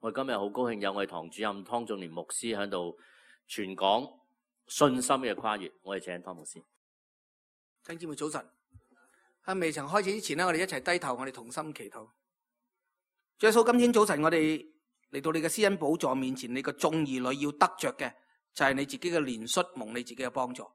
我今日好高興有我哋堂主任湯仲年牧師喺度傳講信心嘅跨越。我哋請湯牧師。弟兄姊妹早晨。喺未曾開始之前呢，我哋一齊低頭，我哋同心祈禱。主耶穌，今天早晨我哋嚟到你嘅施恩寶座面前，你嘅眾兒女要得着嘅就係你自己嘅憐恤，蒙你自己嘅幫助。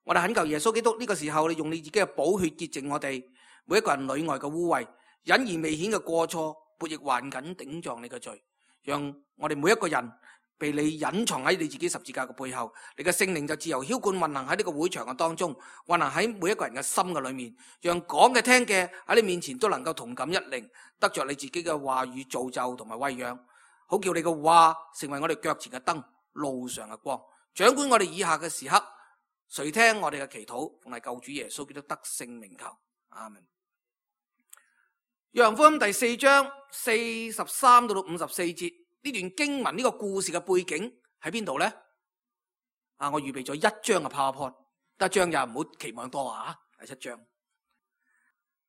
我哋懇求耶穌基督呢個時候，你用你自己嘅寶血潔淨我哋每一個人裏外嘅污穢、隱而未顯嘅過錯、悖逆頑梗頂撞你嘅罪，讓我哋每一個人被你隱藏喺你自己十字架嘅背後，你嘅聖靈就自由澆灌運行喺呢個會場嘅當中，運行喺每一個人嘅心嘅裏面，讓講嘅聽嘅喺你面前都能夠同感一靈，得着你自己嘅話語造就同埋餵養，好叫你嘅話成為我哋腳前嘅燈，路上嘅光，掌管我哋以下嘅時刻。垂聽我哋嘅祈禱，奉係救主耶穌基督得勝名求，阿門。約翰福音第4章43到54節，呢段經文呢個故事嘅背景喺邊度呢？我預備咗1張嘅 PowerPoint， 得1張又唔好期望多啊，係7張。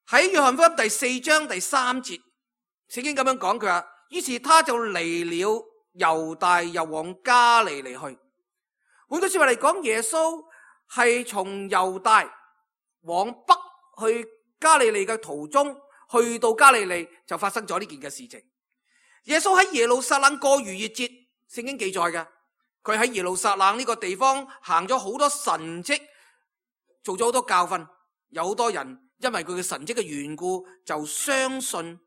喺約翰福音第4章第3節，聖經咁樣講，佢話：於是他就離了猶大，又往加利利去。換句說話嚟講，耶穌係從猶大往北去加利利嘅途中，去到加利利就發生咗呢件嘅事情。耶穌喺耶路撒冷過逾越節，聖經記載嘅，佢喺耶路撒冷呢個地方行咗好多神蹟，做咗好多教訓，有好多人因為佢嘅神蹟嘅緣故就相信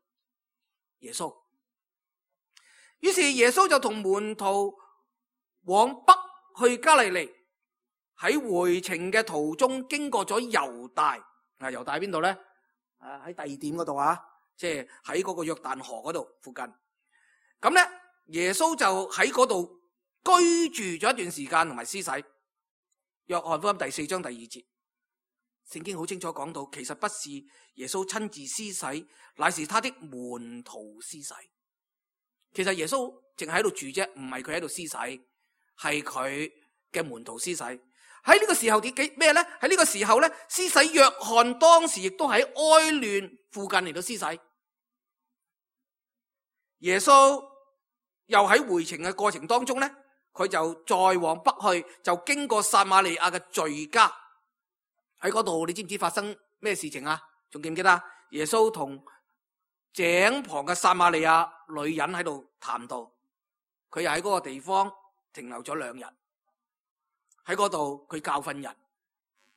耶穌。於是耶穌就同門徒往北去加利利，喺回程嘅途中經過咗猶大。猶大喺邊度呢？喺第二點嗰度啊，即係喺嗰個約旦河嗰度附近。咁咧，耶穌就喺嗰度居住咗一段時間，同埋施洗。約翰福音第4章第2節，聖經好清楚講到，其實不是耶穌親自施洗，乃是他的門徒施洗。其實耶穌淨係喺度住啫，唔係佢喺度施洗，係佢嘅門徒施洗。喺呢個時候咩咧？喺呢個時候咧，施洗約翰當時亦都喺哀嫩附近嚟到施洗。耶穌又喺回程嘅過程當中咧，佢就再往北去，就經過撒瑪利亞嘅敘加。喺嗰度，你知唔知發生咩事情啊？仲記唔記得？耶穌同井旁嘅撒瑪利亞女人喺度談道，佢又喺嗰個地方停留咗2日。喺嗰度佢教訓人，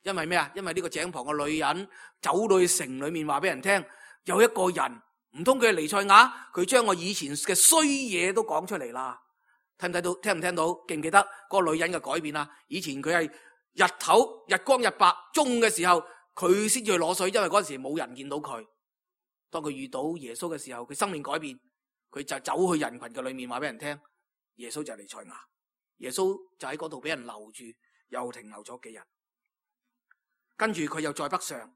因為咩啊？因為呢個井旁嘅女人走到去城裏面話俾人聽，有一個人，唔通佢係彌賽亞？佢將我以前嘅衰嘢都講出嚟啦。睇唔睇到？聽唔聽到？記唔記得嗰個女人嘅改變啊？以前佢係日頭日光日白，中午嘅時候佢先至去攞水，因為嗰陣時冇人見到佢。當佢遇到耶穌嘅時候，佢生命改變，佢就走去人群嘅裏面話俾人聽，耶穌就係彌賽亞。耶穌就喺嗰度俾人留住，又停留咗幾日。跟住佢又再北上，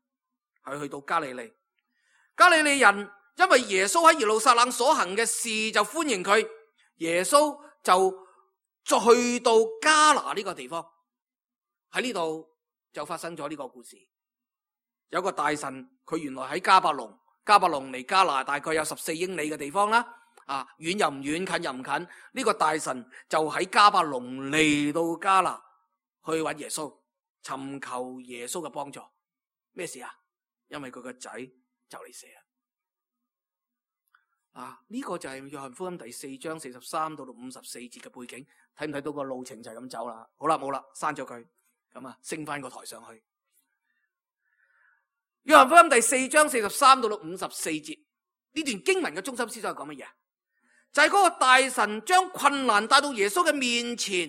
去到加利利。加利利人因為耶穌喺耶路撒冷所行嘅事就歡迎佢，耶穌就再去到加拿呢個地方。喺呢度就發生咗呢個故事。有個大臣，佢原來喺迦百農，迦百農離加拿大概有14英里嘅地方啦。遠又唔遠，近又唔近。呢個大臣就喺迦百農嚟到加拿去揾耶穌，尋求耶穌嘅幫助。咩事啊？因為佢個仔就嚟死啦。呢個就係約翰福音第4章43到54節嘅背景。睇唔睇到個路程就係咁走啦？好啦，冇啦，刪咗佢。咁啊，升翻個台上去。約翰福音第4章43到54節，呢段經文嘅中心思想係講乜嘢？就係嗰個大臣將困難帶到耶穌嘅面前。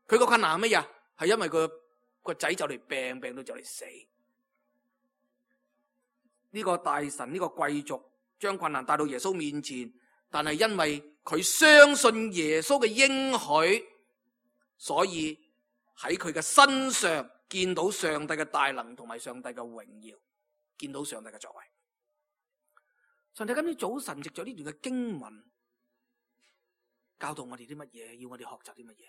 佢個困難係乜嘢？係因為佢個仔就嚟病到就嚟死。呢個大臣，呢個貴族將困難帶到耶穌面前，但係因為佢相信耶穌嘅應許，所以喺佢嘅身上見到上帝嘅大能同埋上帝嘅榮耀，見到上帝嘅作為。上帝今天早晨藉咗呢段嘅經文教導我哋啲乜嘢？要我哋學習啲乜嘢？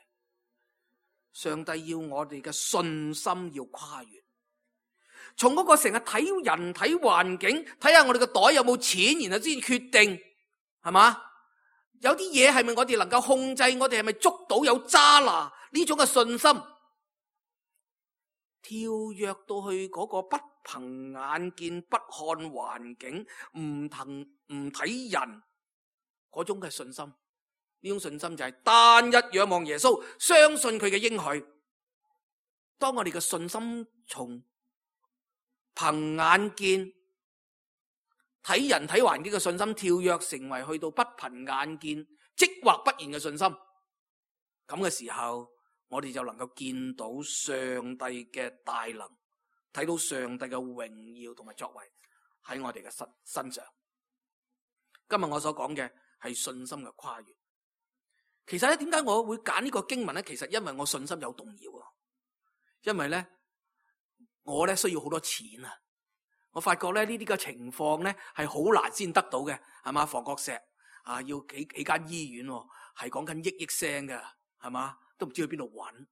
上帝要我哋嘅信心要跨越，從嗰個成日睇人睇環境，睇下我哋嘅袋有冇錢，然後先決定係嘛？有啲嘢係咪我哋能夠控制？我哋係咪捉到有揸拿呢種嘅信心？跳躍到去嗰個不憑眼見、不看環境、唔睇人嗰種嘅信心，呢種信心就係單一仰望耶穌，相信佢嘅應許。當我哋嘅信心從憑眼見、睇人睇環境嘅信心跳躍成為去到不憑眼見、即或不然嘅信心，咁嘅時候，我哋就能夠見到上帝嘅大能，睇到上帝嘅榮耀同埋作為喺我哋嘅身上。今日我所講嘅係信心嘅跨越。其實咧，點解我會揀呢個經文咧？其實因為我信心有動搖啊。因為咧，我咧需要好多錢啊。我發覺咧呢啲嘅情況咧係好難先得到嘅，係嘛？房角石啊，要幾間醫院，係講緊億聲嘅，係嘛？都唔知去邊度揾，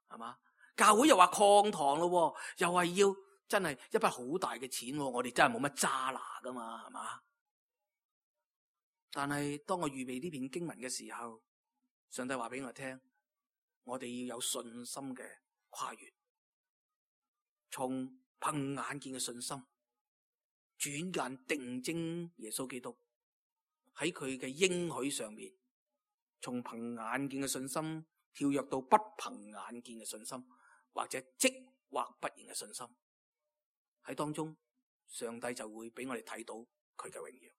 係嘛？教會又話擴堂咯，又係要真係一筆好大嘅錢，我哋真係冇乜揸拿噶嘛，係嘛？但係當我預備呢篇經文嘅時候，上帝話俾我聽，我哋要有信心嘅跨越，從憑眼見嘅信心，轉眼定睛耶穌基督喺佢嘅應許上面，從憑眼見嘅信心跳躍到不憑眼見嘅信心，或者即或不然嘅信心，喺當中上帝就會俾我哋睇到佢嘅榮耀。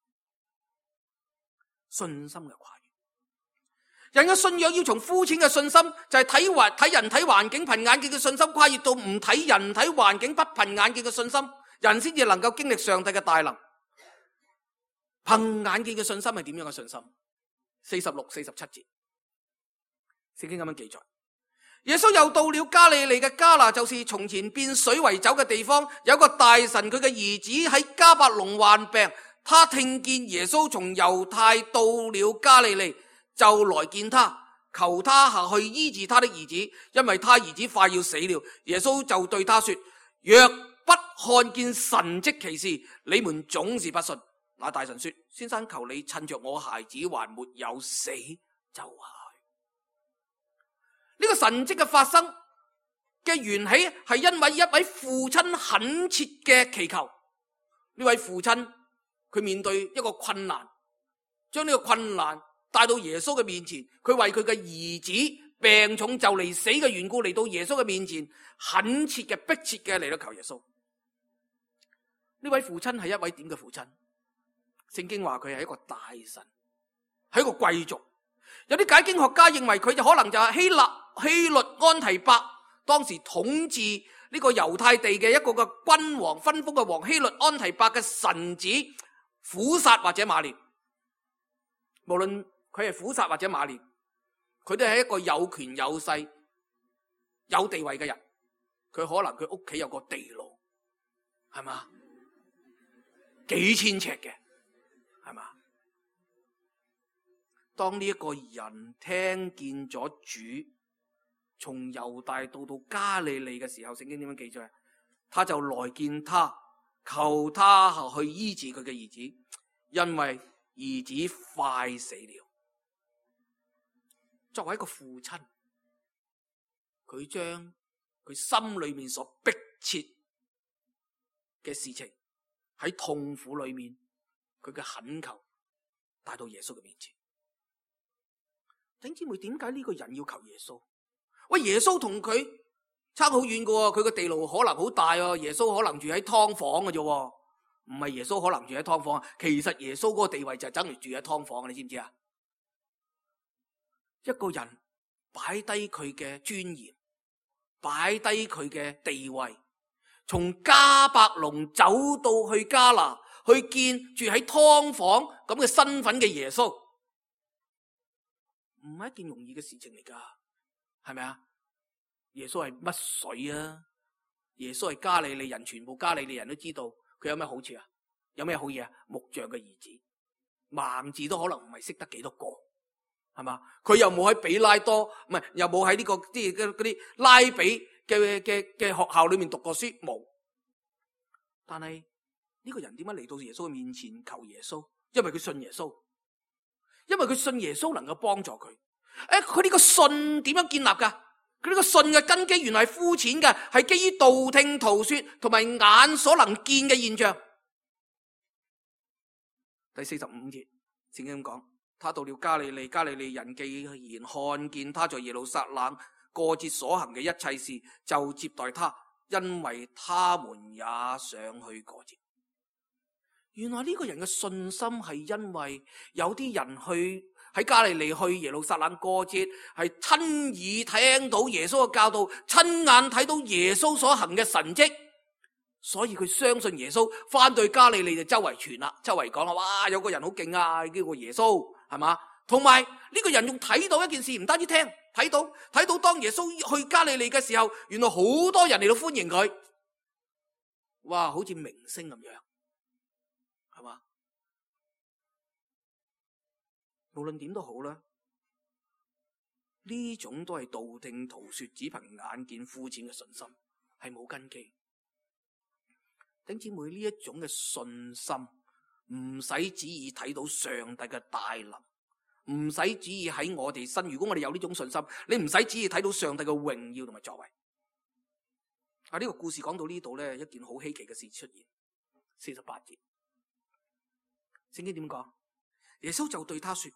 信心嘅跨越，人嘅信仰要從膚淺嘅信心，就係睇人睇環境憑眼見嘅信心，跨越到唔睇人睇環境不憑眼見嘅信心，人先至能夠經歷上帝嘅大能。憑眼見嘅信心係點樣嘅信心？46、47節，聖經咁樣記載：耶穌又到了加利利嘅迦拿，就是從前變水為酒嘅地方。有個大臣，佢嘅兒子喺迦百農患病，他聽見耶穌從猶太到了加利利，就來見他，求他下去醫治他的兒子，因為他兒子快要死了。耶穌就對他說：若不看見神蹟奇事，你們總是不信。那大臣說：先生，求你趁着我孩子還沒有死就下去。呢個神蹟嘅發生嘅緣起係因為一位父親懇切嘅祈求。呢位父親佢面對一個困難，將呢個困難帶到耶穌嘅面前，佢為佢嘅兒子病重就嚟死嘅緣故嚟到耶穌嘅面前，懇切嘅迫切嘅嚟到求耶穌。呢位父親係一位點嘅父親？聖經話佢係一個大臣，係一個貴族。有啲解經學家認為佢就可能就係希律安提帕，當時統治呢個猶太地嘅一個嘅君王，分封嘅王希律安提帕嘅臣子苦撒或者馬年。無論佢係苦撒或者馬年，佢都係一個有權有勢有地位嘅人。佢可能佢屋企有個地牢，係嘛？幾千尺嘅，係嘛？當呢一個人聽見咗主從猶大到加利利嘅時候，聖經點樣記載？他就來見他，求他去醫治佢嘅兒子，因為兒子快死了。作為一個父親，佢將佢心裏面所迫切嘅事情喺痛苦裏面，佢嘅懇求帶到耶穌嘅面前。弟兄姊妹，點解呢個人要求耶穌？喂，耶穌同佢差好遠㗎喎，佢個地牢可能好大啊，耶穌可能住喺劏房嘅啫，唔係耶穌可能住喺劏房。其實耶穌嗰個地位就係等於住喺劏房，你知唔知啊？一個人擺低佢嘅尊嚴，擺低佢嘅地位，從迦百農走到去迦拿，去見住喺劏房咁嘅身份嘅耶穌，唔係一件容易嘅事情嚟噶，係咪啊？耶穌係乜水啊？耶穌係加利利人，全部加利利人都知道佢有咩好處啊？有咩好嘢啊？木匠嘅兒子，盲字都可能唔係識得幾多個，係嘛？佢又冇喺比拉多，唔係又冇喺呢個啲拉比嘅學校裏面讀過書，冇。但係呢個人點解嚟到耶穌嘅面前求耶穌？因為佢信耶穌。因為佢信耶穌能夠幫助佢。佢呢個信點樣建立㗎？佢呢個信嘅根基原來係膚淺嘅，係基於道聽途說同埋眼所能見嘅現象。第45節聖經咁講，他到了加利利，加利利人既然看見他在耶路撒冷過節所行嘅一切事，就接待他，因為他們也想去過節。原來呢個人嘅信心係因為有啲人去喺加利利去耶路撒冷過節，係親耳聽到耶穌嘅教導，親眼睇到耶穌所行嘅神蹟，所以佢相信耶穌，翻到加利利就周圍傳啦，周圍講啦，哇，有個人好勁啊，叫個耶穌，係嘛？同埋呢個人仲睇到一件事，唔單止聽，睇到當耶穌去加利利嘅時候，原來好多人嚟到歡迎佢，哇，好似明星咁樣，係嘛？無論點都好啦，呢種都係道聽途說，只憑眼見膚淺嘅信心，係冇根基。弟兄姊妹，呢一種嘅信心，唔使旨意睇到上帝嘅大能，唔使旨意喺我哋身。如果我哋有呢種信心，你唔使旨意睇到上帝嘅榮耀同埋作為。呢個故事講到呢度咧，一件好稀奇嘅事出現。48節，聖經點講？耶穌就對他說：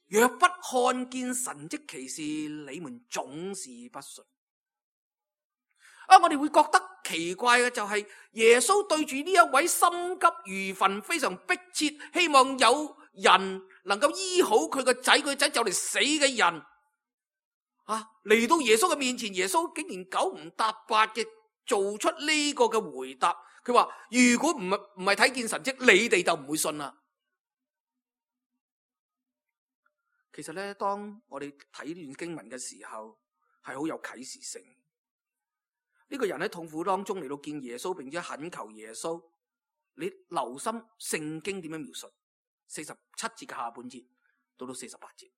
若不看見神蹟奇事，你們總是不信。我哋會覺得奇怪嘅就係耶穌對住呢一位心急如焚、非常迫切希望有人能夠醫好佢個仔，佢仔就嚟死嘅人，嚟到耶穌嘅面前，耶穌竟然九唔搭八嘅做出呢個嘅回答。佢話：如果唔係睇見神蹟，你哋就唔會信啦。其實咧，當我哋睇呢段經文嘅時候，係好有啟示性。呢個人喺痛苦當中嚟到見耶穌，並且懇求耶穌。你留心聖經點樣描述47節嘅下半節到48節，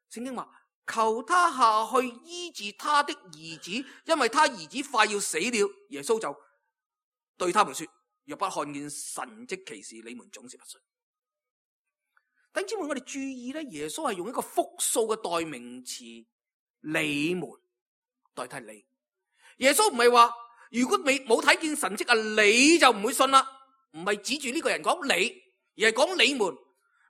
聖經話：求他下去醫治他的兒子，因為他兒子快要死了。耶穌就對他們說：若不看見神蹟奇事，你們總是不信。弟兄姊妹，我哋注意咧，耶穌係用一個複數嘅代名詞你們代替你。耶穌唔係話如果你冇睇見神蹟你就唔會信啦，唔係指住呢個人講你，而係講你們。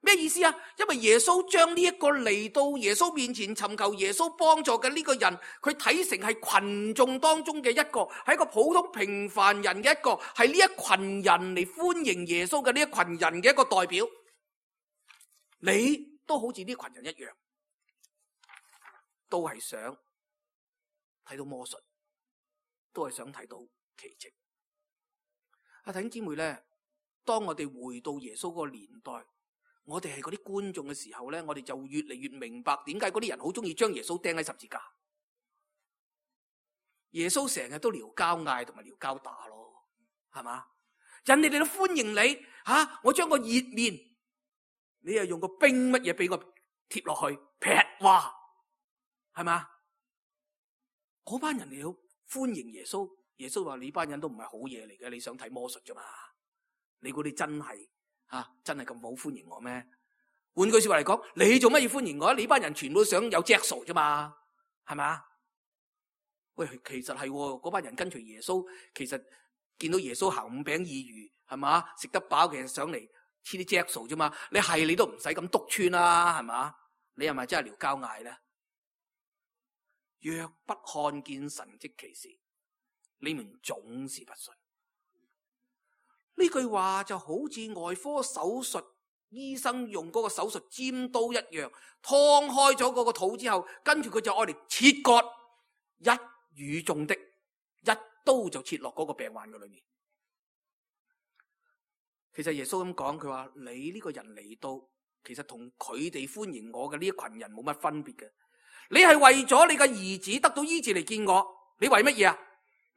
咩意思啊？因為耶穌將呢一個嚟到耶穌面前尋求耶穌幫助嘅呢個人，佢睇成係群眾當中嘅一個，係一個普通平凡人嘅一個，係呢一群人嚟歡迎耶穌嘅呢一群人嘅一個代表。你都好似呢群人一樣，都係想睇到魔術，都係想睇到奇蹟。弟兄姊妹咧，當我哋回到耶穌嗰個年代，我哋係嗰啲觀眾嘅時候咧，我哋就越嚟越明白點解嗰啲人好中意將耶穌釘喺十字架。耶穌成日都撩交嗌同埋撩交打咯，係嘛？人哋嚟到歡迎你，我將個熱麵，你又用個冰乜嘢俾我貼落去，劈哇，係嘛？嗰班人嚟到歡迎耶穌，耶穌話：你班人都唔係好嘢嚟嘅，你想睇魔術啫嘛？你估你真係真係咁好歡迎我咩？換句說話嚟講，你做乜要歡迎我？你班人全部都想有隻數啫嘛，係咪？喂，其實係嗰班人跟隨耶穌，其實見到耶穌行5餅2魚，係嘛？食得飽，其實上嚟黐啲隻數啫嘛。你都唔使咁篤穿啦，係嘛？你係咪真係撩交嗌咧？若不看見神蹟奇事，你們總是不信。呢句話就好似外科手術，醫生用嗰個手術尖刀一樣，劏開咗嗰個肚之後，跟住佢就愛嚟切割，一語中的，一刀就切落嗰個病患嘅裏面。其實耶穌咁講，佢話你呢個人嚟到，其實同佢哋歡迎我嘅呢一群人冇乜分別嘅。你係為咗你嘅兒子得到醫治嚟見我，你為乜嘢啊？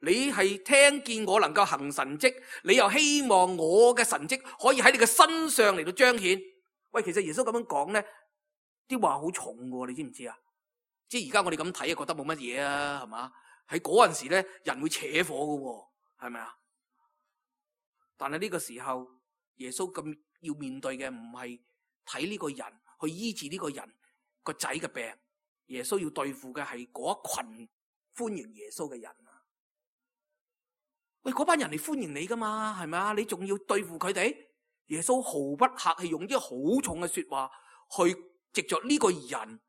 你係聽見我能夠行神蹟，你又希望我嘅神蹟可以喺你嘅身上嚟到彰顯。喂，其實耶穌咁樣講咧，啲話好重嘅，你知唔知啊？即係而家我哋咁睇啊，覺得冇乜嘢啊，係嘛？喺嗰陣時咧，人會扯火嘅，係咪啊？但係呢個時候，耶穌咁要面對嘅唔係睇呢個人，去醫治呢個人個仔嘅病。耶穌要對付嘅係嗰一群歡迎耶穌嘅人啊！喂，嗰班人嚟歡迎你噶嘛，係咪啊？你仲要對付佢哋？耶穌毫不客氣，用啲好重嘅說話去藉着呢個人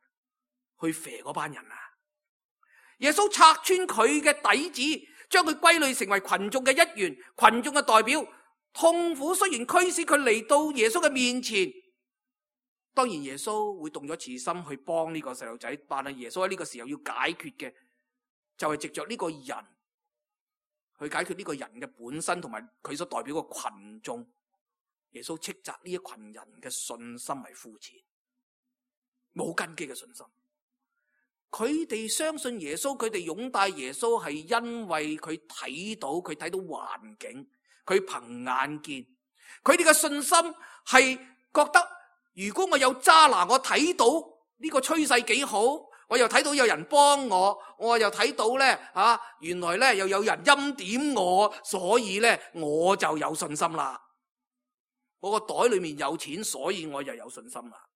去肥嗰班人啊！耶穌拆穿佢嘅底子，將佢歸類成為群眾嘅一員，群眾嘅代表。痛苦雖然驅使佢嚟到耶穌嘅面前，當然耶穌會動咗慈心去幫呢個細路仔，但係耶穌喺呢個時候要解決嘅就係藉着呢個人去解決呢個人嘅本身同埋佢所代表嘅群眾。耶穌斥責呢一群人嘅信心係膚淺、冇根基嘅信心。佢哋相信耶穌，佢哋擁戴耶穌係因為佢睇到環境，佢憑眼見。佢哋嘅信心係覺得，如果我有揸拿，我睇到呢個趨勢幾好，我又睇到有人幫我又睇到原來又有人欽點我，所以我就有信心啦。我個袋裏面有錢，所以我又有信心啦。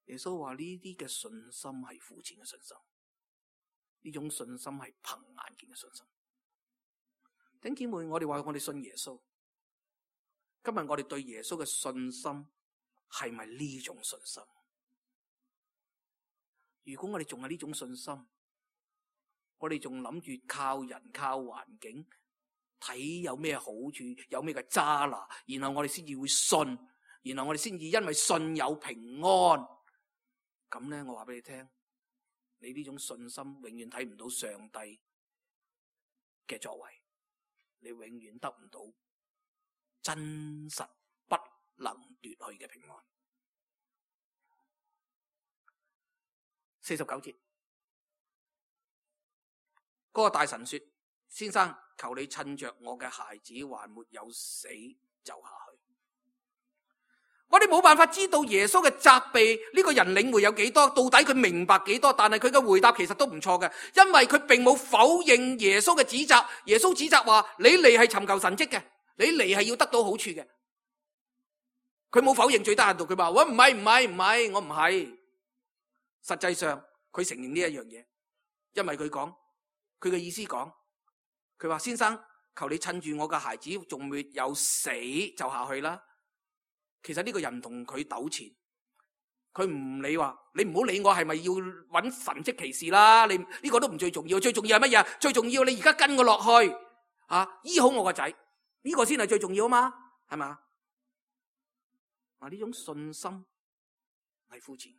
耶穌話呢啲嘅信心係膚淺嘅信心，呢種信心係憑眼見嘅信心。弟兄姊妹，我哋話我哋信耶穌，今日我哋對耶穌嘅信心係咪呢種信心？如果我哋仲係呢種信心，我哋仲諗住靠人靠環境睇有咩好處，有咩嘅揸拿，然後我哋先至會信，然後我哋先至因為信有平安。咁我話俾你聽，你呢種信心永遠睇唔到上帝嘅作為，你永遠得唔到真實不能奪去嘅平安。49節，嗰個大臣說：先生，求你趁着我嘅孩子還沒有死就下去。我哋冇辦法知道耶穌嘅責備呢個人領會有幾多，到底佢明白幾多，但係佢嘅回答其實都唔錯嘅，因為佢並冇否認耶穌嘅指責。耶穌指責話：你嚟係尋求神蹟嘅，你嚟係要得到好處嘅。佢冇否認，最低限度佢話：喂，唔係，我唔係。實際上佢承認呢一樣嘢，因為佢講佢嘅意思講，佢話：先生，求你趁住我嘅孩子仲未有死就下去啦。其實呢個人同佢糾纏，佢唔理話，你唔好理我係咪要揾神蹟奇事啦，你呢個都唔最重要，最重要係乜嘢？最重要你而家跟我落去醫好我個仔，呢個先係最重要啊嘛，係咪？呢種信心係膚淺。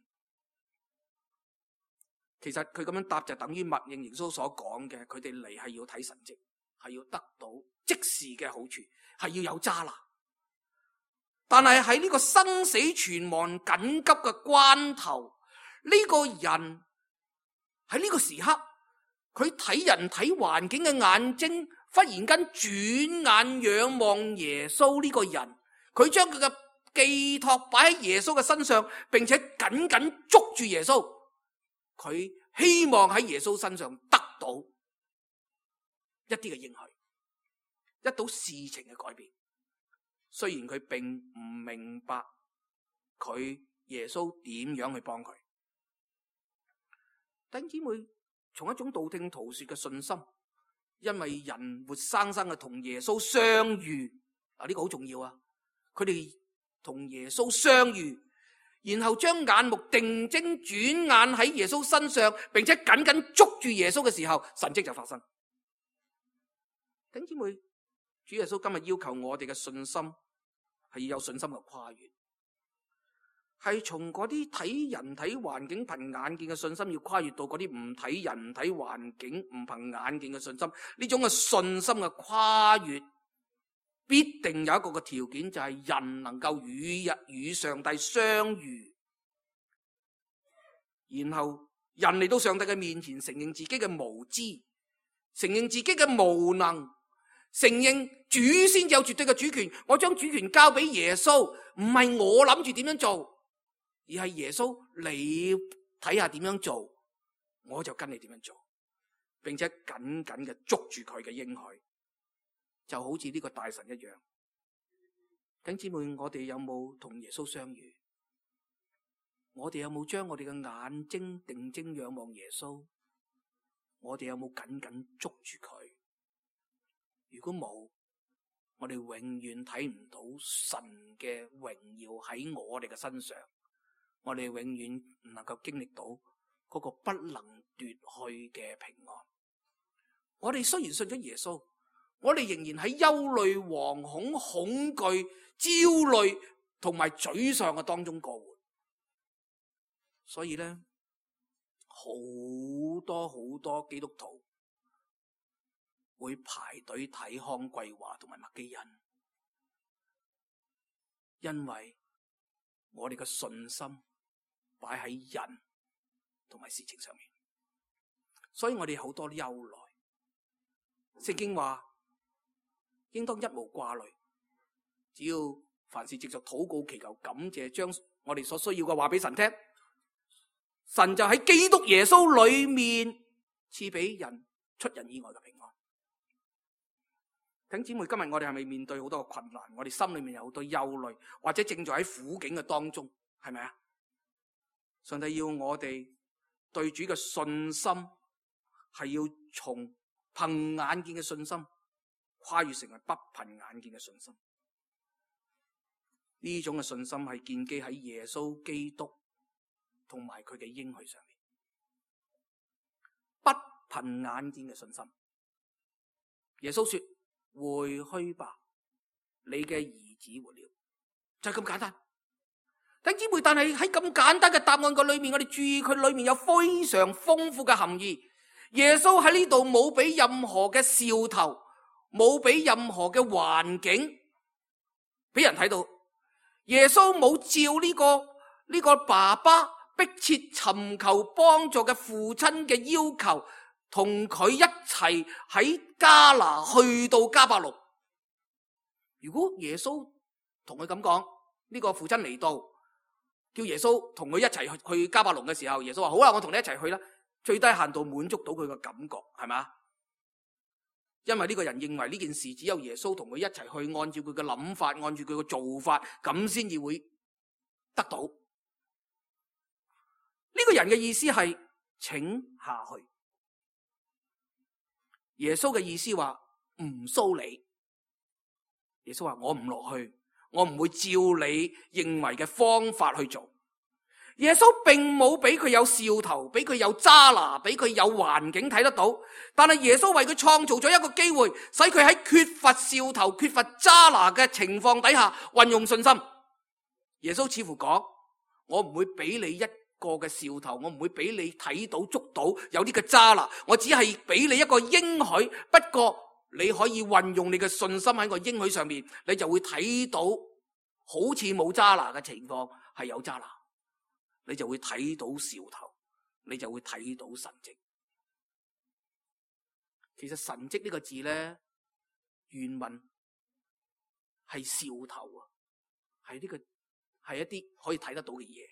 其實佢咁樣答就等於默認耶穌所講嘅，佢哋嚟係要睇神蹟，係要得到即時嘅好處，係要有揸拿。但係喺呢個生死存亡緊急嘅關頭，呢個人喺呢個時刻，佢睇人睇環境嘅眼睛忽然間轉眼仰望耶穌呢個人，佢將佢嘅寄託擺喺耶穌嘅身上，並且緊緊捉住耶穌，佢希望喺耶穌身上得到一啲嘅應許，得到事情嘅改變。雖然佢並唔明白佢耶穌點樣去幫佢，弟兄姊妹，從一種道聽途說嘅信心，因為人活生生嘅同耶穌相遇，呢個好重要啊！佢哋同耶穌相遇，然後將眼目定睛轉眼喺耶穌身上，並且緊緊捉住耶穌嘅時候，神蹟就發生。弟兄姊妹，主耶穌今日要求我哋嘅信心係要有信心嘅跨越，係從嗰啲睇人睇環境憑眼見嘅信心，要跨越到嗰啲唔睇人唔睇環境唔憑眼見嘅信心。呢種嘅信心嘅跨越，必定有一個嘅條件，就係人能夠與上帝相遇，然後人嚟到上帝嘅面前，承認自己嘅無知，承認自己嘅無能，承認主先有絕對嘅主權。我將主權交俾耶穌，唔係我諗住點樣做，而係耶穌你睇下點樣做，我就跟你點樣做，並且緊緊嘅捉住佢嘅應許，就好似呢個大臣一樣。弟兄姊妹，我哋有冇同耶穌相遇？我哋有冇將我哋嘅眼睛定睛仰望耶穌？我哋有冇緊緊捉住佢？如果冇，我哋永遠睇唔到神嘅榮耀喺我哋嘅身上，我哋永遠唔能夠經歷到嗰個不能奪去嘅平安。我哋雖然信咗耶穌，我哋仍然喺憂慮、惶恐、恐懼、焦慮同埋沮喪嘅當中過活。所以咧，好多基督徒會排隊睇康桂華同埋麥基恩，因為我哋嘅信心擺喺人同埋事情上面，所以我哋好多憂慮。聖經話應當一無掛慮，只要凡事藉着禱告祈求感謝，將我哋所需要嘅話俾神聽，神就喺基督耶穌裏面賜俾人出人意外嘅平安。弟兄姊妹，今日我哋係咪面對好多嘅困難？我哋心裏面有好多憂慮，或者正在喺苦境嘅當中，係咪啊？上帝要我哋對主嘅信心係要從憑眼見嘅信心跨越成為不憑眼見嘅信心。呢種嘅信心係建基喺耶穌基督同埋佢嘅應許上面，不憑眼見嘅信心。耶穌說：回去吧，你嘅兒子活了，就係咁簡單。弟兄姊妹，但係喺咁簡單嘅答案個裏面，我哋注意佢裏面有非常豐富嘅含義。耶穌喺呢度冇俾任何嘅兆頭，冇俾任何嘅環境俾人睇到。耶穌冇照呢個爸爸迫切尋求幫助嘅父親嘅要求，同佢一齊喺加拿去到迦百農。如果耶穌同佢咁講，呢個父親嚟到，叫耶穌同佢一齊去迦百農嘅時候，耶穌話：好啦，我同你一齊去啦。最低限度滿足到佢嘅感覺，係嘛？因為呢個人認為呢件事只有耶穌同佢一齊去，按照佢嘅諗法，按照佢嘅做法，咁先至會得到。呢個人嘅意思係請下去。耶穌嘅意思話唔騷你。耶穌話：我唔落去，我唔會照你認為嘅方法去做。耶穌並冇俾佢有兆頭，俾佢有揸拿，俾佢有環境睇得到。但係耶穌為佢創造咗一個機會，使佢喺缺乏兆頭、缺乏揸拿嘅情況底下運用信心。耶穌似乎講：我唔會俾你一個嘅兆頭，我唔會俾你睇到捉到有啲嘅揸拿，我只係俾你一個應許。不過你可以運用你嘅信心喺個應許上面，你就會睇到好似冇揸拿嘅情況係有揸拿。你就會睇到兆頭，你就會睇到神蹟。其實神蹟呢個字咧，原文係兆頭啊，係一啲可以睇得到嘅嘢。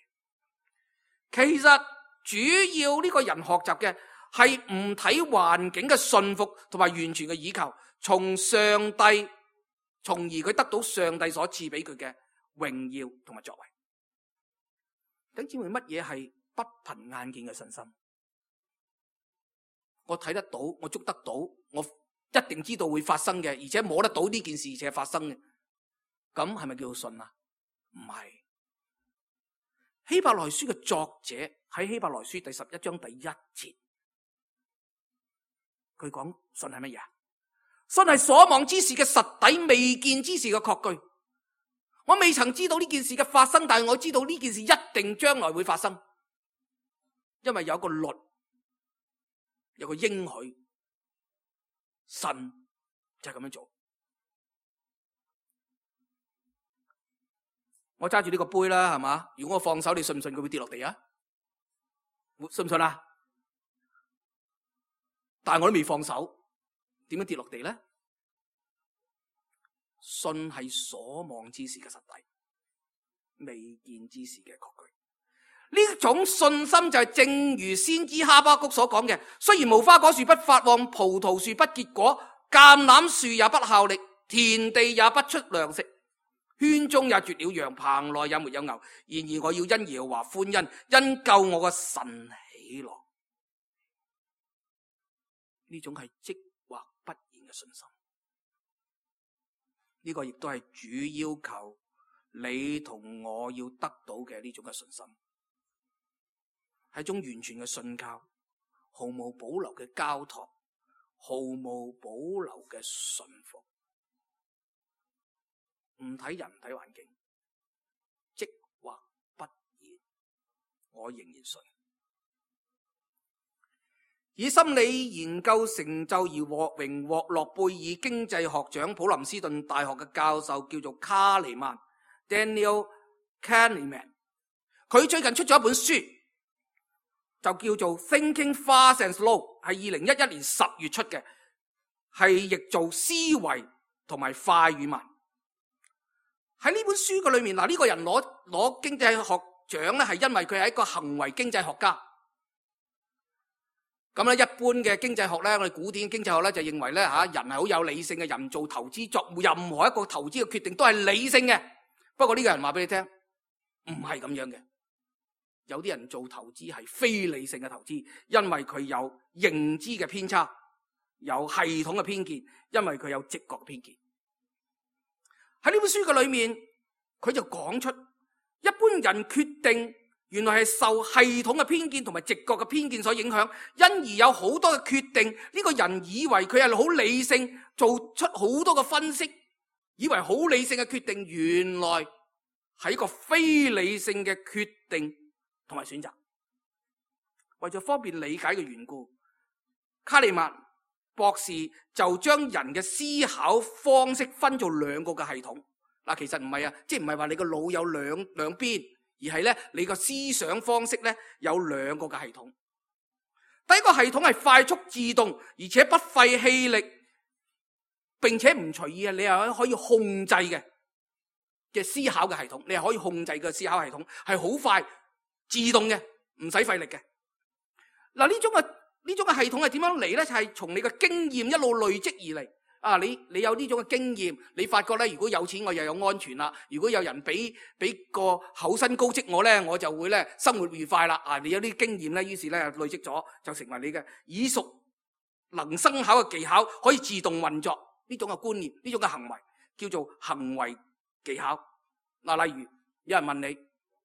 其實主要呢個人學習嘅係唔睇環境嘅信服同埋完全嘅倚靠，從上帝，從而佢得到上帝所賜俾佢嘅榮耀同埋作為。弟兄姊妹，乜嘢係不憑眼見嘅信心？我睇得到，我捉得到，我一定知道會發生嘅，而且摸得到呢件事而且發生嘅，咁係咪叫做信啊？唔係。希伯來書嘅作者喺希伯來書第11章第1節，佢講信係乜嘢？信係所望之事嘅實底，未見之事嘅確據。我未曾知道呢件事嘅發生，但係我知道呢件事一定將來會發生，因為有個律，有個應許，神就係咁樣做。我揸住呢個杯啦，係嘛？如果我放手，你信唔信佢會跌落地啊？信唔信啊？但係我都未放手，點樣跌落地咧？信係所望之事嘅實底，未見之事嘅確據。呢種信心就係正如先知哈巴谷所講嘅：雖然無花果樹不發旺，葡萄樹不結果，橄欖樹也不效力，田地也不出糧食，圈中也絕了羊，棚內也沒有牛。然而我要因耶和華歡欣，因救我嘅神喜樂。呢種係即或不然嘅信心，呢個亦都係主要求你同我要得到嘅呢種嘅信心，係一種完全嘅信靠，毫無保留嘅交託，毫無保留嘅信服，唔睇人唔睇環境，即或不然，我仍然信。以心理研究成就而獲榮獲諾貝爾經濟學獎普林斯頓大學嘅教授叫做卡尼曼 Daniel Kahneman， 佢最近出咗一本書，就叫做 Thinking Fast and Slow， 係2011年10月出嘅，係譯做思維同埋快與慢。喺呢本書嘅裏面，嗱，呢個人攞經濟學獎咧，係因為佢係一個行為經濟學家。咁咧，一般嘅經濟學咧，我哋古典經濟學咧就認為咧人係好有理性嘅，人做投資作任何一個投資嘅決定都係理性嘅。不過呢個人話俾你聽，唔係咁樣嘅。有啲人做投資係非理性嘅投資，因為佢有認知嘅偏差，有系統嘅偏見，因為佢有直覺嘅偏見。喺呢本書嘅裏面，佢就講出一般人決定原來係受系統嘅偏見同埋直覺嘅偏見所影響，因而有好多嘅決定，呢個人以為佢係好理性，做出好多嘅分析，以為好理性嘅決定，原來係一個非理性嘅決定同埋選擇。為咗方便理解嘅緣故，卡利曼博士就將人嘅思考方式分做兩個嘅系統。嗱，其實唔係啊，即係唔係話你個腦有兩邊，而係咧你個思想方式咧有兩個嘅系統。第一個系統係快速自動，而且不費氣力，並且唔隨意啊，你係可以控制嘅思考嘅系統，你係可以控制嘅思考系統，係好快自動嘅，唔使費力嘅。嗱，呢種嘅系統係點樣嚟咧？就係從你嘅經驗一路累積而嚟。啊，你有呢種嘅經驗，你發覺咧，如果有錢我又有安全啦，如果有人俾個厚薪高職我咧，我就會咧生活愉快啦。啊，你有啲經驗咧，於是咧累積咗就成為你嘅耳熟能生巧嘅技巧，可以自動運作呢種嘅觀念，呢種嘅行為叫做行為技巧。嗱，例如有人問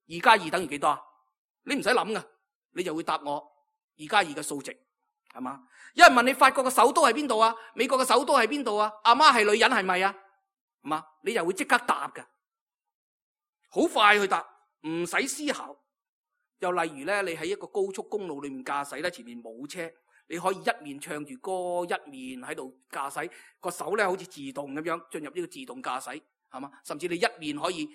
你2+2等於幾多啊？你唔使諗噶，你就會答我2+2嘅數值。係嘛？有人問你法國嘅首都係邊度啊？美國嘅首都係邊度啊？阿媽係女人係咪啊？係嘛？你又會即刻答㗎，好快去答，唔使思考。又例如咧，你喺一個高速公路裏面駕駛咧，前面冇車，你可以一面唱住歌，一面喺度駕駛，個手咧好似自動咁樣進入呢個自動駕駛，係嘛？甚至你一面可以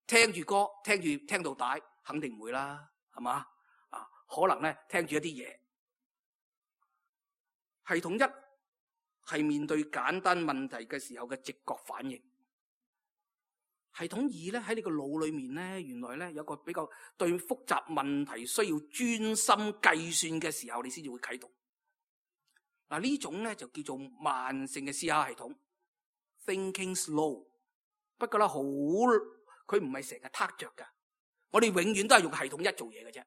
聽住歌，聽到帶，肯定唔會啦，係嘛？啊，可能咧聽住一啲嘢。系統一係面對簡單問題嘅時候嘅直覺反應。系統二咧，喺你個腦裏面咧，原來咧有個比較對複雜問題需要專心計算嘅時候，你先至會啟動。嗱，呢種咧就叫做慢性嘅思考系統 ，thinking slow。不過咧佢唔係成日撻着噶，我哋永遠都係用系統一做嘢嘅啫。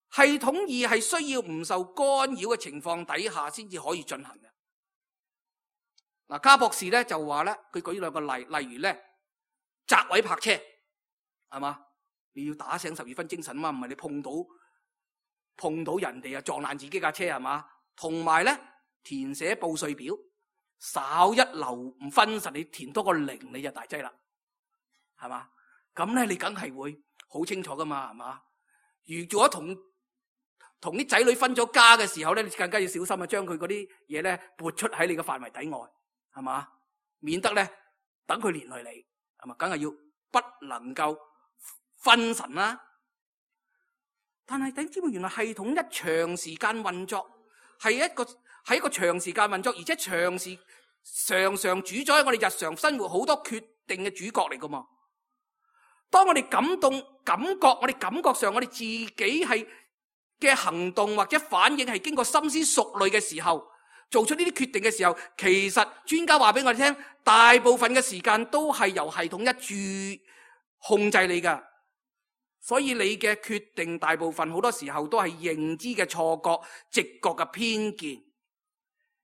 系統二係需要唔受干擾嘅情況底下先至可以進行嘅。嗱，卡博士咧就話咧，佢舉兩個例，例如咧擇位泊車，係嘛？你要打醒12分精神嘛，唔係你碰到人哋啊撞爛自己架車，係嘛？同埋咧填寫報稅表，稍一漏唔分實，你填多個0你就大劑啦，係嘛？咁咧你梗係會好清楚噶嘛，係嘛？如果同啲仔女分咗家嘅時候咧，你更加要小心啊！將佢嗰啲嘢咧撥出喺你嘅範圍底外，係嘛？免得咧等佢連累你，係嘛？梗係要不能夠分神啦。但係點知原來系統一長時間運作係一個長時間運作，而且常常主宰我哋日常生活好多決定嘅主角嚟噶嘛。當我哋感覺上我哋自己係嘅行動或者反應係經過深思熟慮嘅時候，做出呢啲決定嘅時候，其實專家話俾我哋聽，大部分嘅時間都係由系統一注控制你噶。所以你嘅決定大部分好多時候都係認知嘅錯覺、直覺嘅偏見。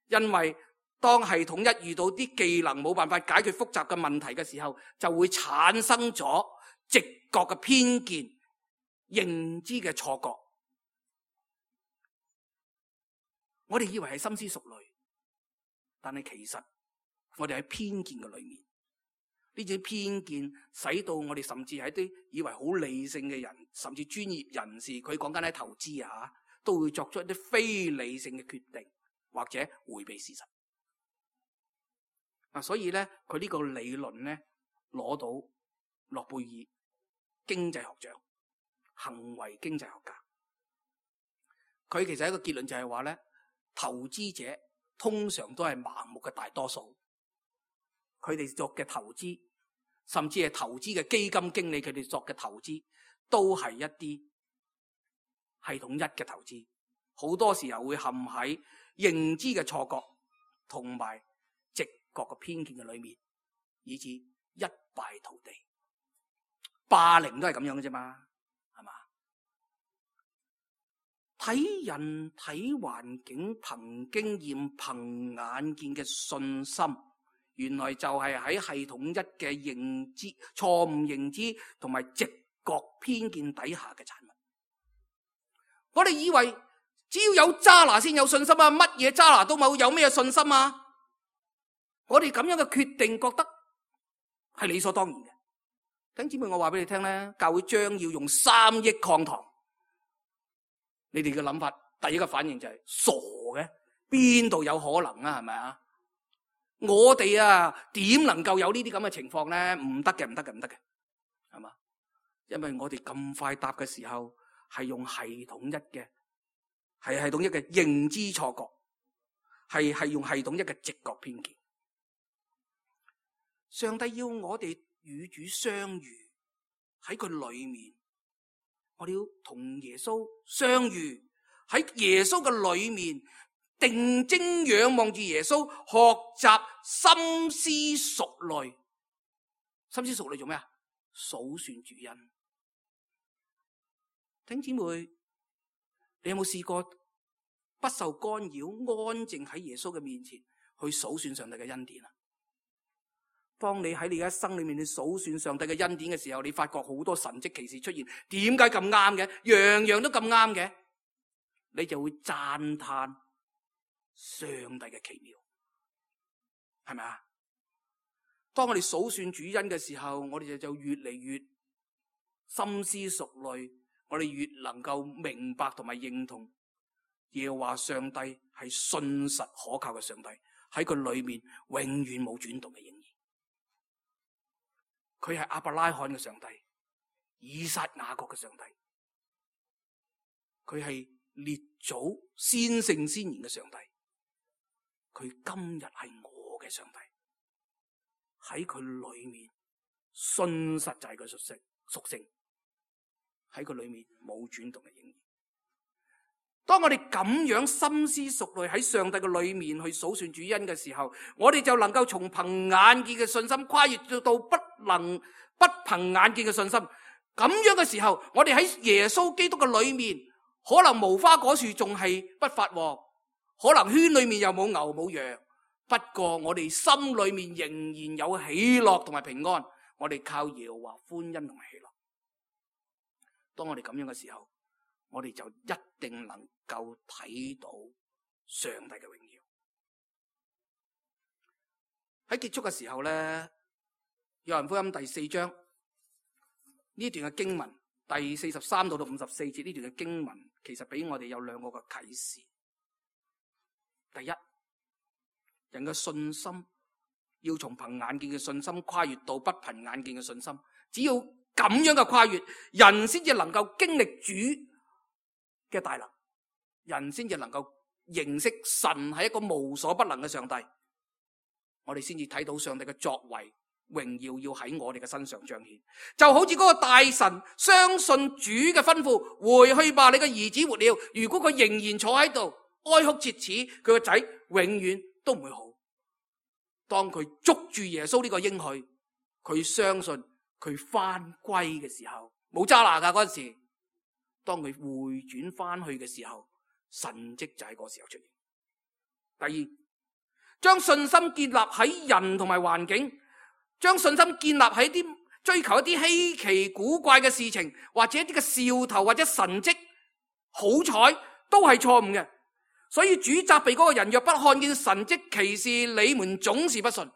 因為當系統一遇到啲技能冇辦法解決複雜嘅問題嘅時候，就會產生咗直覺嘅偏見、認知嘅錯覺。我哋以為係深思熟慮，但係其實我哋喺偏見嘅裏面，呢種偏見使到我哋甚至係一啲以為好理性嘅人，甚至專業人士，佢講緊喺投資啊，都會作出一啲非理性嘅決定，或者迴避事實。所以咧，佢呢個理論咧攞到諾貝爾經濟學獎，行為經濟學家。佢其實一個結論就係話咧，投資者通常都係盲目嘅大多數，佢哋作嘅投資，甚至係投資嘅基金經理，佢哋作嘅投資都係一啲系統一嘅投資，好多時候會陷喺認知嘅錯覺同埋直覺嘅偏見嘅裏面，以致一敗塗地。霸凌都係咁樣嘅啫嘛，係嘛？睇人睇環境，憑經驗憑眼見嘅信心，原來就係喺系統一嘅認知、錯誤認知同埋直覺偏見底下嘅產物。我哋以為只要有渣拿先有信心啊，乜嘢渣拿都冇，有咩信心啊？我哋咁樣嘅決定覺得係理所當然嘅。弟兄姊妹，我話俾你聽咧，教會將要用3億抗糖，你哋嘅諗法，第一個反應就係傻嘅，邊度有可能啊？係咪啊？我哋啊，點能夠有呢啲咁嘅情況咧？唔得嘅，唔得嘅，唔得嘅，係嘛？因為我哋咁快答嘅時候係用系統一嘅，係系統一嘅認知錯覺，係用系統一嘅直覺偏見。上帝要我哋與主相遇喺佢裏面，我哋要同耶穌相遇喺耶穌嘅裏面，定睛仰望住耶穌，學習深思熟慮。深思熟慮做咩啊？數算主恩。弟兄姊妹，你有冇試過不受干擾，安靜喺耶穌嘅面前去數算上帝嘅恩典啊？當你喺你一生裏面你數算上帝嘅恩典嘅時候，你發覺好多神蹟奇事出現，點解咁啱嘅？樣樣都咁啱嘅，你就會讚嘆上帝嘅奇妙，係咪啊？當我哋數算主恩嘅時候，我哋就越嚟越深思熟慮，我哋越能夠明白同埋認同耶和華上帝係信實可靠嘅上帝，喺佢裏面永遠冇轉動嘅影兒。佢係亞伯拉罕嘅上帝，以撒雅各嘅上帝，佢係列祖先聖先賢嘅上帝，佢今日係我嘅上帝。喺佢裏面信實就係佢屬性，喺佢裏面冇轉動嘅影兒。當我哋咁樣深思熟慮喺上帝嘅裏面去數算主恩嘅時候，我哋就能夠從憑眼見嘅信心跨越到不憑眼見嘅信心。咁樣嘅時候，我哋喺耶穌基督嘅裏面，可能無花果樹仲係不發旺，可能圈裏面又冇牛冇羊，不過我哋心裏面仍然有喜樂同埋平安。我哋靠耶和華歡欣同埋喜樂。當我哋咁樣嘅時候，我哋就一定能夠睇到上帝嘅榮耀。喺結束嘅時候咧，約翰福音第4章呢段嘅經文，第43到54節呢段嘅經文，其實俾我哋有2個嘅啟示。第一，人嘅信心要從憑眼見嘅信心跨越到不憑眼見嘅信心，只要咁樣嘅跨越，人先至能夠經歷主嘅大能，人先至能夠認識神係一個無所不能嘅上帝，我哋先至睇到上帝嘅作為榮耀要喺我哋嘅身上彰顯。就好似嗰個大臣相信主嘅吩咐，回去吧，你嘅兒子活了。如果佢仍然坐喺度，哀哭切齒，佢個仔永遠都唔會好。當佢捉住耶穌呢個應許，佢相信佢翻歸嘅時候，冇揸拿噶嗰陣時，當佢回轉翻去嘅時候，神蹟就喺嗰時候出現。第二，將信心建立喺人同埋環境，將信心建立喺啲追求一啲稀奇古怪嘅事情，或者一啲嘅兆頭或者神蹟好彩，都係錯誤嘅。所以主責備嗰個人，若不看見神蹟奇事，你們總是不信。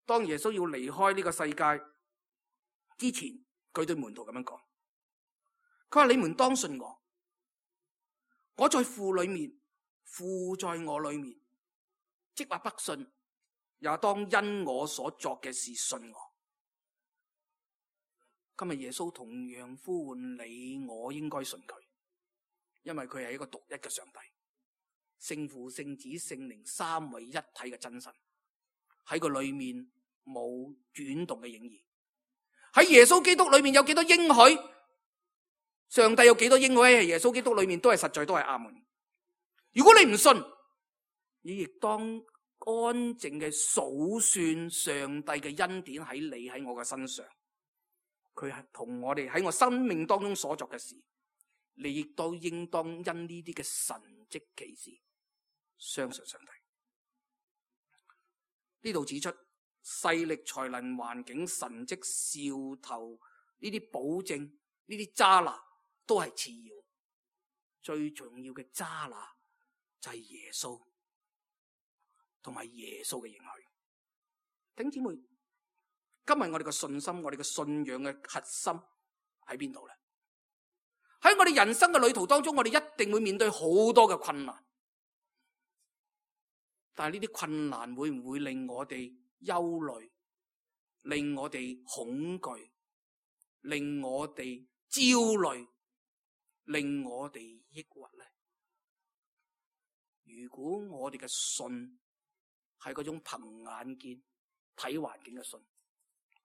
當耶穌要離開呢個世界之前，佢對門徒咁樣講，佢話：你們當信我，我在父裏面，父在我裏面。即或不信，也當因我所作嘅事信我。今日耶穌同樣呼喚你我，應該信佢，因為佢係一個獨一嘅上帝，聖父、聖子、聖靈三位一體嘅真神，喺佢裏面冇轉動嘅影兒。喺耶穌基督裏面有幾多應許？上帝有幾多應許喺耶穌基督裏面都係實在，都係阿門。如果你唔信，你亦當安靜嘅數算上帝嘅恩典喺你喺我嘅身上，佢係同我哋喺我生命當中所作嘅事，你亦都應當因呢啲嘅神蹟奇事相信上帝。呢度指出勢力、才能、環境、神蹟、兆頭呢啲保證，呢啲揸拿都係次要，最重要嘅揸拿就係耶穌同埋耶穌嘅應許。弟兄姊妹，今日我哋嘅信心，我哋嘅信仰嘅核心喺邊度咧？喺我哋人生嘅旅途當中，我哋一定會面對好多嘅困難，但係呢啲困難會唔會令我哋憂慮，令我哋恐懼，令我哋焦慮，令我哋抑鬱咧？如果我哋嘅信係嗰種憑眼見睇環境嘅信，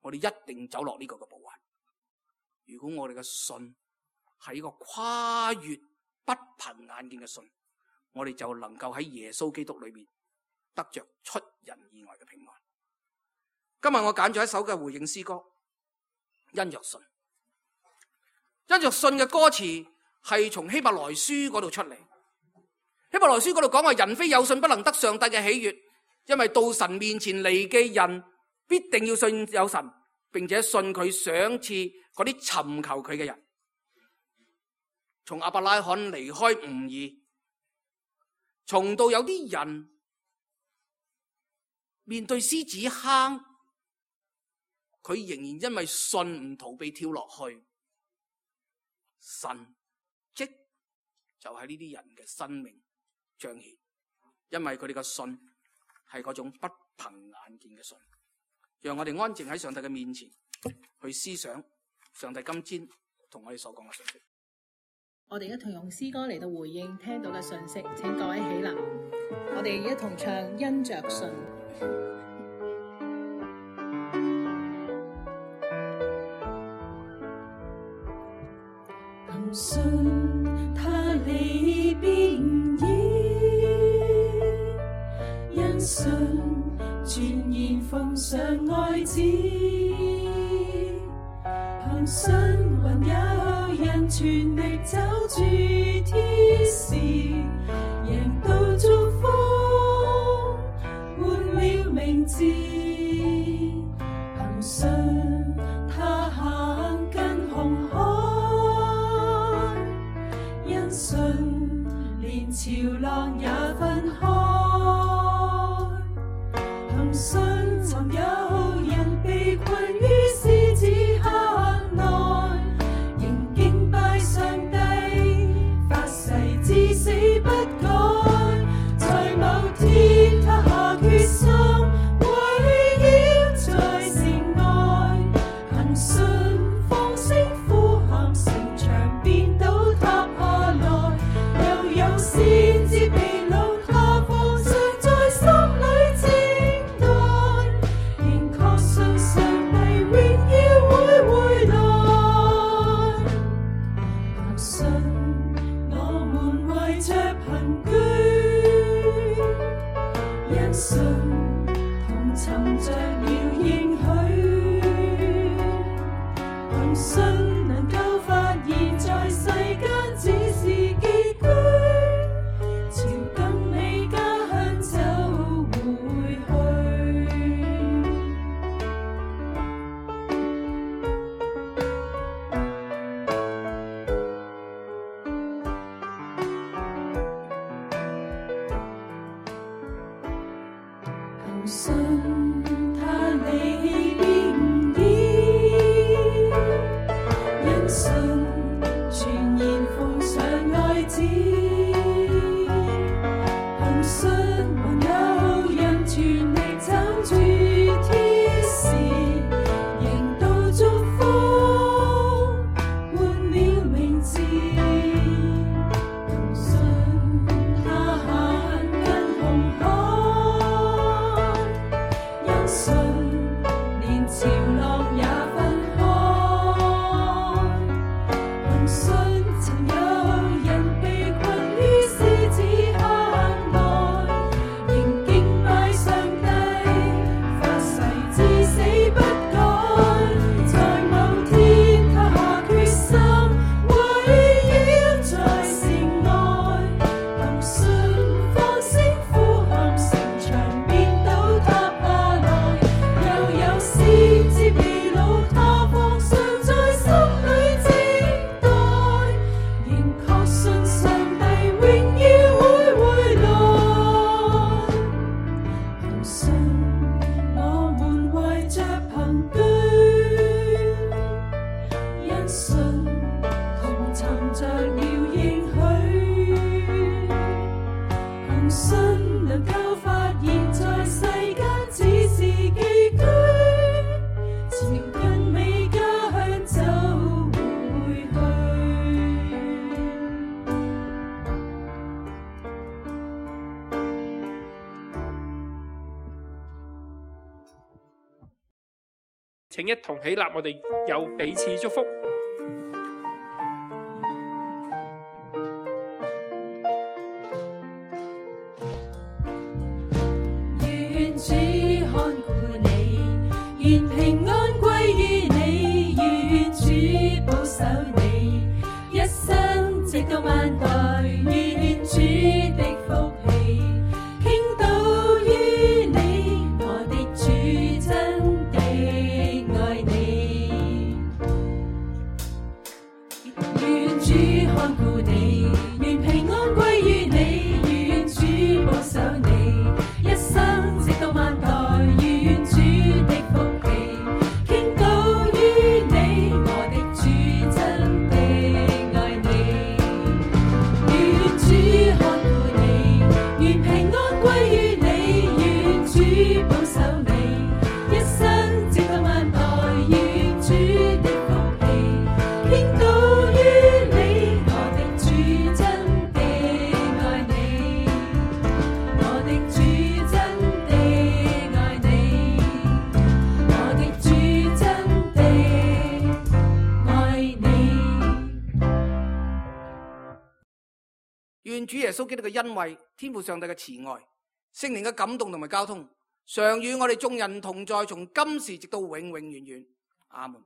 我哋一定走落呢個嘅步伐。如果我哋嘅信係一個跨越不憑眼見嘅信，我哋就能夠喺耶穌基督裏面得着出人意外嘅平安。今日我揀咗一首嘅回應詩歌，因着信。因着信嘅歌詞係從希伯來書嗰度出嚟。希伯來書嗰度講話，人非有信不能得上帝嘅喜悅，因為到神面前嚟嘅人必定要信有神，並且信佢賞賜嗰啲尋求佢嘅人。從亞伯拉罕離開吾珥，從到有啲人面對獅子坑，佢仍然因為信唔逃避跳落去，神蹟就喺呢啲人嘅生命彰顯，因為佢哋嘅信係嗰種不憑眼見嘅信。讓我哋安靜喺上帝嘅面前去思想上帝今天同我哋所講嘅信息。我哋一同用詩歌嚟到回應聽到嘅信息，請各位起立，我哋一同唱因着信。憑信他理必義，因信全然奉上愛子，憑信還有人全力走住天使，贏到祝福，換了名字，憑信他行近紅海，因信連潮浪也分開，憑信曾有人被困於獅子坑內，仍敬拜上帝，發誓至死不改，在某天他下決心為信能夠發現在世間只是寄居，朝更美家鄉走回去。求信他離棄必唔依，因信全然奉上愛子，憑信還有人全力撐住天使，迎到祝福換了名字。憑信他行近紅海，因信連潮浪也分開，憑信曾有人被困於獅子坑內，仍敬拜上帝，發誓至死不改。在某天他下決心圍繞在城外，憑信放聲呼喊，城牆變倒塌下來。又有先知被擄，他放上在心裏靜待，仍確信上帝榮耀會回來。憑信我們懷着憑據，因信同尋着了應許，憑信能夠發現在世間只是寄居，朝更美家鄉走回去。請一同起立，我哋有彼此祝福。願主看顧你，願平安歸於你，願主保守你，一生直到萬代，願主的福氣傾倒於你，我的主真的愛你。願主看顧你，願平安歸於你，願主保守你，一生直到萬代，願主的福氣傾倒於你，我的主真的愛你。願主看顧你，願平安歸於你，願主保守你，一生直到萬代，願主的福氣傾倒於你，我的主真的愛你，我的主真的愛你，我的主真的愛你。願主耶穌基督嘅恩惠、天父上帝嘅慈愛、聖靈嘅感動同埋交通，常與我哋眾人同在，從今時直到永永遠遠。阿門。